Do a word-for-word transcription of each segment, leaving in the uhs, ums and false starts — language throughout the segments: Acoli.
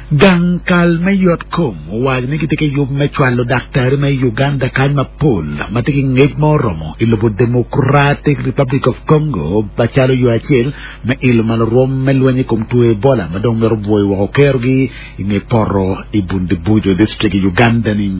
Gang kal me yot kom owaco ni gitye ki yub me cwalo daktari me Uganda kany mapol ma tye ki ngec ma oromo i lobo Democratic Republic of Congo macalo yo acel me ilo malo rwom me lweny i kom two Ebola ma dong mito bwoyo woko kerogi i nge poto i Bundibugyo district i Uganda ni.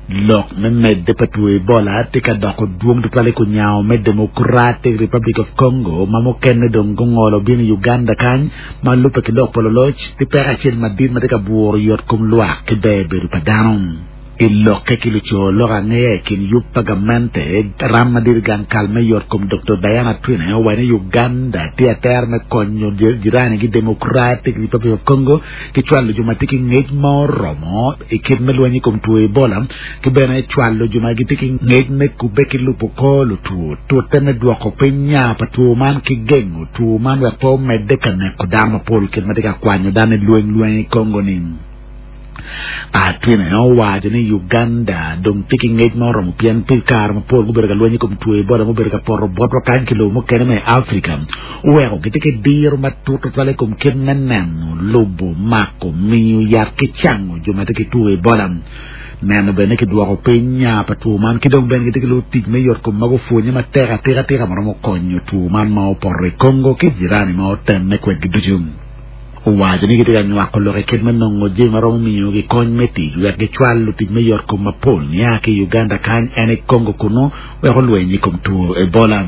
Lok me medde pa two Ebola tye ka doko dwong tutwal i kunyango me Democratic Republic of Congo ma mukene dong gungolo bino i Uganda kany ma lubbe ki lok pa luloc tye peko acel madit ma tye ka buro yot kom lwak ki ber bedo pa dano. I lokke ki luco lok angeya i kin yub pa gamente ram madit i gang kal me yot kom Dr. Diana Atwine owaco ni Uganda tye atera me konyo jirani gi Democratic Republic of Congo ki cwalo jo ma tye ki ngec ma oromo i kit me lweny i kom two Ebola ki bene cwalo jo ma gitye ki ngec me kubbe ki lubo kor lutwo tute me dwoko piny nya pa two man ki gengo two man wek pe omedde ka neko dano mapol kit ma tye ka kwanyo dano i lweny lweny i Congo ni. Atwine owaco ni Uganda dong tye ki ngec ma oromo pien pi kare mapol gubedo ka lweny i kom two Ebola mubedo ka poto botwa kany ki lobo mukene me Afrika oweko gitye ki diro matut tutwal i kom kit me neno lubo mako miyo yat ki cango jo ma tye ki two Ebola neno bene kidwoko piny nya pa two man ki dong bene gitye ki lutic me yot kom ma gupwonye matek atika tika ma romo konyo two man ma opoto i Congo ki jirani ma otemme kwedgi ducu. Owaco ni gitye ka nywako lok i kit me nongo jami ma romo miyogi kony me tic wek gicwal lutic me yot kom mapol nia ki i Uganda kany en i Congo kunu wek olweny i kom two Ebola.